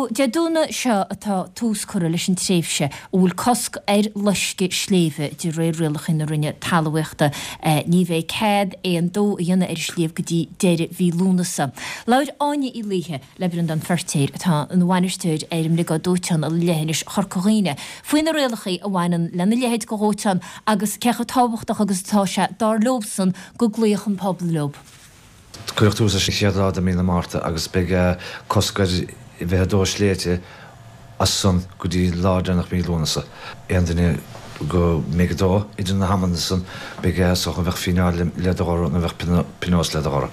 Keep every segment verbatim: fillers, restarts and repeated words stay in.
Ó Dé Domhnaigh seo atá tús curtha leis an tréimhse a bhfuil cosc ar loisceadh sléibhe de réir rialacha na Roinne Talmhaíochta. Ní bheidh cead aon dó a dhéanamh ar an sliabh go dtí deireadh mhí Lúnasa. Labhair Áine Uí Laoithe le Breandán Feirtéar, atá ina bhainisteoir ar an mBriogáid Dóiteáin i Leithinis Chorca Dhuibhne, faoi na rialacha a bhaineann lena leithéid de dhóiteán agus cé chomh tábhachtach agus atá sé dar leobsan go gcloífeadh an pobal leo. Cuireadh tús leis an chéad lá de mí na Márta agus beidh cosc ar bheith ag dó sléibhte as san go dtí lá deireanach mí Lúnasa. Aon duine go mbeidh ag dó idir na hamanna san beidh is dócha bheadh fíneáil le do ghoradh nó bheadh pionós le do ghoradh.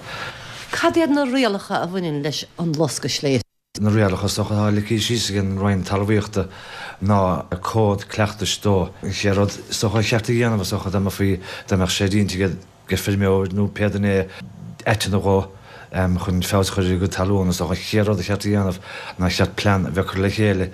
Cad iad na rialacha a bhaineann leis an loscadh sléibhe? Na rialacha is dócha atá ligthe síos ag an Roinn Talmhaíochta ná cód cleachtais dó. An chéad rud is dócha a cheart a dhéanamh is dócha dá mbeifí dá mbeadh sé déanta ag ag feirmeoir nó pé duine é aiteann a dhó chun feabhas a chur ar a gcuid talún. Is dócha an chéad rud a cheart a dhéanamh ná cheart plean a bheith curtha le chéile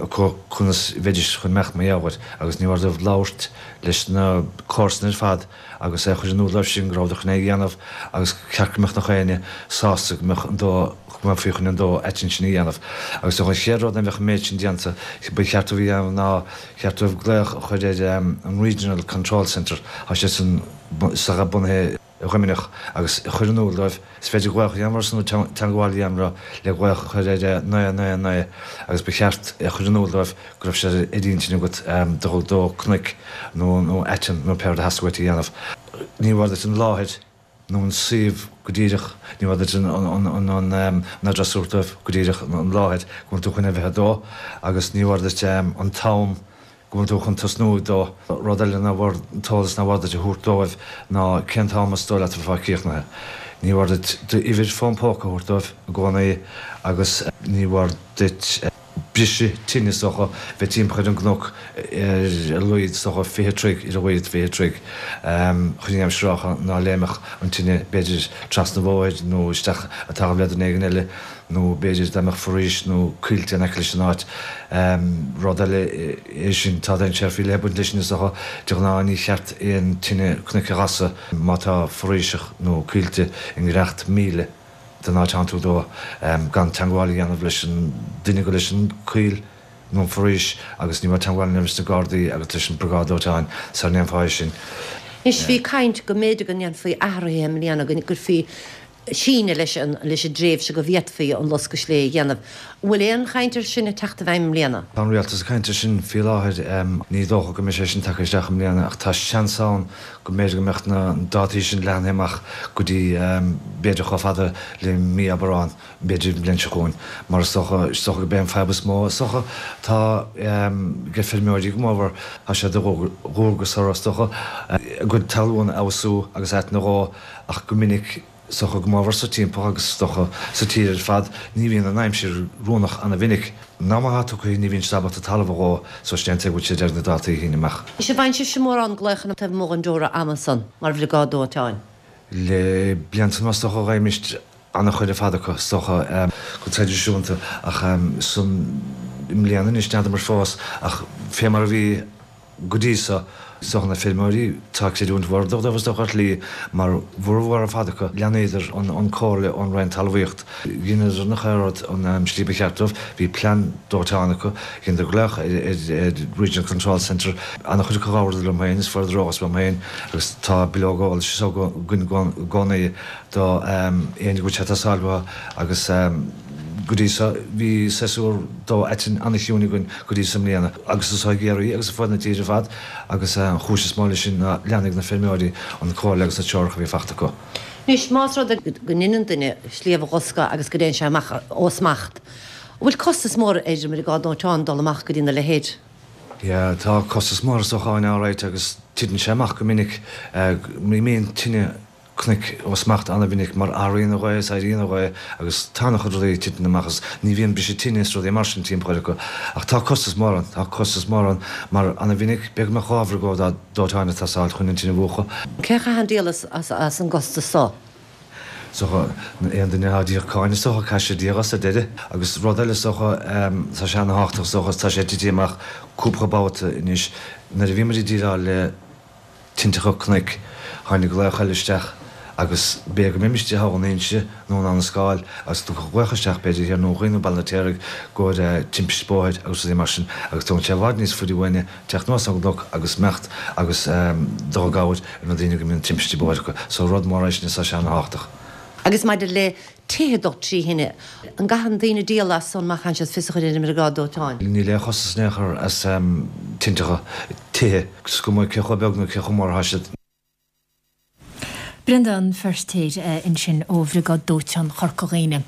acu conas a bheidís chun imeacht mar gheall air agus ní mór dóibh labhairt leis na comharsana ar fad agus é a chur in iúl dóibh sin go rabhadar chun é a dhéanamh agus cheart go mbeadh nach éinne sásta go mbeadh an dó go mbeifí chun an dó aitinn sin a dhéanamh. Agus is dócha an chéad rud nuair a bheadh an méid sin déanta ba cheart dóibh a dhéanamh ná cheart dóibh glaoch a chur ar an Regional Control Centre, tá sé san bunaithe i Luimneach agus a chur in iúl dóibh. Is féidir glaoch a dhéanamh orthu nó teagmháil a dhéanamh leo le glaoch a chur ar naoi naoi naoi agus ba cheart a chur in iúl dóibh go raibh sé ar intinn agat dul ag dó cnoic nó nó aiteann nó pé rud a theastaigh uait a dhéanamh. Ní mhór duit an láthair nó an suíomh go díreach, ní mhór duit an an an an address a thabhairt dóibh go díreach, an láthair go bhfuil tú chun a bheith ag dó agus ní mhór duit an t-am go bhfuil tú chun tosnú ag dó. Rud eile nár mhór an t-eolas nár mhór duit a thabhairt dóibh ná cén t-am is dóigh leat a bheifeá críochnaithe. Ní mhór duit d'uimhir fón póca a thabhairt dóibh i gcónaí agus ní mhór duit briseadh tine is dócha bheith timpeall ar an gcnoc ar a laghad is dócha fiche troigh ar a laghad fiche troigh chun an aimsir ná léimfeadh an tine b'fhéidir trasna an bhóthair nó isteach i dtalamh le duine éigin eile. nó b'fhéidir dá mbeadh foraois nó coillte in aice leis an áit. Rud eile é sin, tá dainséar faoi leith ag baint leis sin is dócha. De ghnáth ní cheart aon tine cnoic a ghasadh má tá foraoiseach nó coillte i ngiorracht míle den áit atánn tú ag dó, gan teagmháil a dhéanamh leis an duine gur leis an coill nó an foraois agus ní mór teagmháil a dhéanamh leis na Gardaí agus leis an Briogáid Dóiteáin sara ndéanfá é sin. Anois bhí caint go mb'fhéidir go ndéanfaí athruithe i mbliana, go gcuirfí síneadh leis an leis an dtréimhse go bhféadfaí an loscadh sléibhe a dhéanamh. An bhfuil aon chaint air sin ag teacht i bhfeidhm i mbliana? Tá an Rialtas ag caint air sin faoi láthair. Ní dócha go mbeidh sé sin tagtha isteach i mbliana ach tá seans ann go mb'fhéidir go mbeadh na dátaí sin leathnaithe amach go dtí b'fhéidir chomh fada le mí Aibreáin, b'fhéidir an bhliain seo chugainn. Mar is dócha, is dócha gurb é an fadhb is mó is dócha atá ag feirmeoirí go mórmhór, tá sé de dhualgas orthu is dócha a gcuid talún a fheabhsú agus aiteann a dhó ach go minic, Is dócha go mórmhór sa timpeall agus is dócha sa tír ar fad ní bhíonn an aimsir oiriúnach ana-mhinic. An t-am atá tugtha ní bhíonn siad ábalta talamh a dhó so sin é an tuige go bhfuil siad ag iarraidh na dátaí a shíneadh amach. Is an bhfaigheann sibhse mórán glaochanna taobh amuigh den deora ama san mar bhriogáid dóiteáin? Le blianta anuas is dócha fhaighimist ana-chuid ar fad acu is dócha go traidisiúnta ach san i mbliana anois n'fheadar fós ach fé mar a bhí Go dtí so, is dócha na feirmeoirí, tá creidiúint mhór dóibh is dócha ar shlí, mar bhformhór ar fad acu, leanaíodar an comhairle ón Roinn Talmhaíocht. Dheineadar nach aon rud an slí ba cheart dóibh, bhí plean dóiteáin acu, dheineadar glaoch ar Regional Control Centre, an-chuid acu labhradar liom féin is fuaireadar eolas uaim féin agus tá bileog eolais is againn i gcónaí do éinne go bhfuil sé ag teastáil uathu agus go dtí so bhí séasúr dó aitinn an-chiúin againn go dtí so i mbliana agus is i gCiarraí agus ar fud na tíre ar fad agus an chúis is mó leis sin ná leanfaidh na feirmeoirí an comhairle agus na treoracha a bhí fachta acu. Anois, más rud é go ndeineann duine sliabh a dhoscadh agus go dtéann sé amach ó smacht, an bhfuil costas mór ar an mBriogáid Dóiteáin dul amach go dtí na leithéid? Yeah, tá costas mór is dócha ann alright agus titeann sé amach go minic, imíonn tine cnoic ó smacht an-mhinic mar athraíonn an ghaoth is éiríonn an ghaoth agus tá an-chuid rudaí ag titim amach is ní bhíonn briseadh tine is rudaí mar sin timpeall acu ach tá costas mór ann, tá costas mór ann mar an-mhinic b'fhéidir go mbeadh dhá bhriogáid dóiteáin ag teastáil chun an tine a mhúchadh. Cé a chaitheann díol as as an gcostas so? Is dócha aon duine atá ag íoc cáin is dócha caithfidh siad íoc as ar deireadh agus rud eile is dócha tá sé ana-thábhachtach is dócha is tá sé tití amach cúpla babhta anois nuair a bhí muid ag déileáil le tinteacha cnoic. Tháinig glaoch eile isteach Agus b'fhéidir go mbeimis istigh thall in Inse nó in Abhainn an Scáil agus tú glaoch isteach b'fhéidir thiar i nDún Chaoin nó Baile an Fheirtéaraigh i gcomhair timpiste bóthair agus rudaí mar sin agus tógann sé i bhfad níos faide uainne teacht anuas ón gcnoc agus imeacht agus dul i gcabhair ar na daoine go mbíonn timpistí bóthair acu. So rud mór é sin is tá sé ana-thábhachtach. Agus maidir le tithe ag dul trí thine, an gcaitheann daoine díol as san má chaitheann siad fios a chur ar an mbriogáid dóiteáin? Níl aon chostas in aon chor as tinteacha tithe, is cuma cé chomh beag nó cé chomh mór atá siad. Breandán Feirtéar ansin ó Bhriogáid Dóiteáin Chorca Dhuibhne.